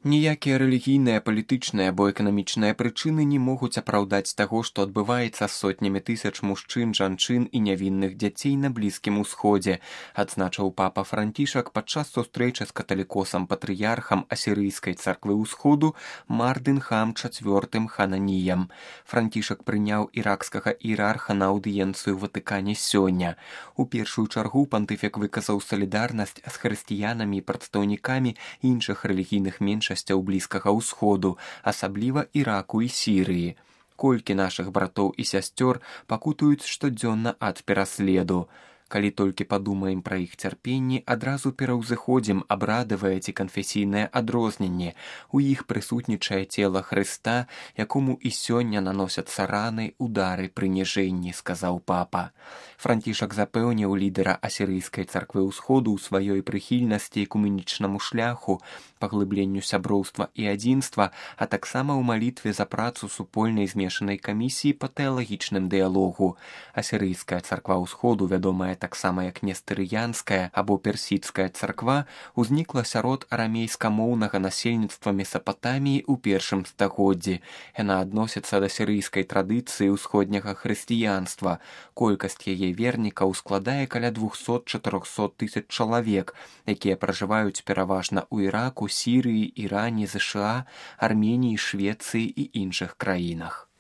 Ніякія рэлігійныя, палітычныя або эканамічныя прычыны не могуць апраўдаць таго, што адбываецца з сотнямі тысяч мужчын, жанчын і нявінных дзяцей на Блізкім Усходзе, адзначыў папа Францішак падчас сустрэчы з каталікосам-патрыярхам асірыйскай царквы ўсходу Мардынхам IV Хананіям. Францішак прыняў іракскага іерарха на аўдыенцыю ў Ватыкане сёння. У першую чаргу пантыфік выказаў салідарнасць з хрысціянамі і прадстаўнікамі іншых рэлігійных меншасцяў Блізкага ўсходу, асабліва Іраку і Сірыі. Колькі нашых братоў і сясцёр пакутуюць штодзённа ад пераследу. Калі толькі падумаем пра іх цярпенні, адразу пераўзыходзім абрадавае ці канфесійнае адрозненне. У іх прысутнічае цела Хрыста, якому і сёння наносяцца раны, удары, прыніжэнні, сказаў папа. Францішак запэўніў лідара асірыйскай царквы ўсходу ў сваёй прыхільнасці экуменічнаму шляху, паглыбленню сяброўства і адзінства, а таксама ў малітве за працу супольнай змешанай камісіі па тэалагічным дыялогу. Асірыйская царква ўсходу, вядомая таксама як нестырыянская або персідская царква, узнікла сярод арамейскамоўнага насельніцтва Месапатаміі ў першым стагоддзі. Яна адносіцца да сірыйскай традыцыі ўсходняга хрысціянства. Колькасць яе вернікаў складае каля 200-400 тысяч чалавек, якія пражываюць пераважна ў Іраку, Сірыі, Іране, ЗША, Арменіі, Швецыі і іншых краінах.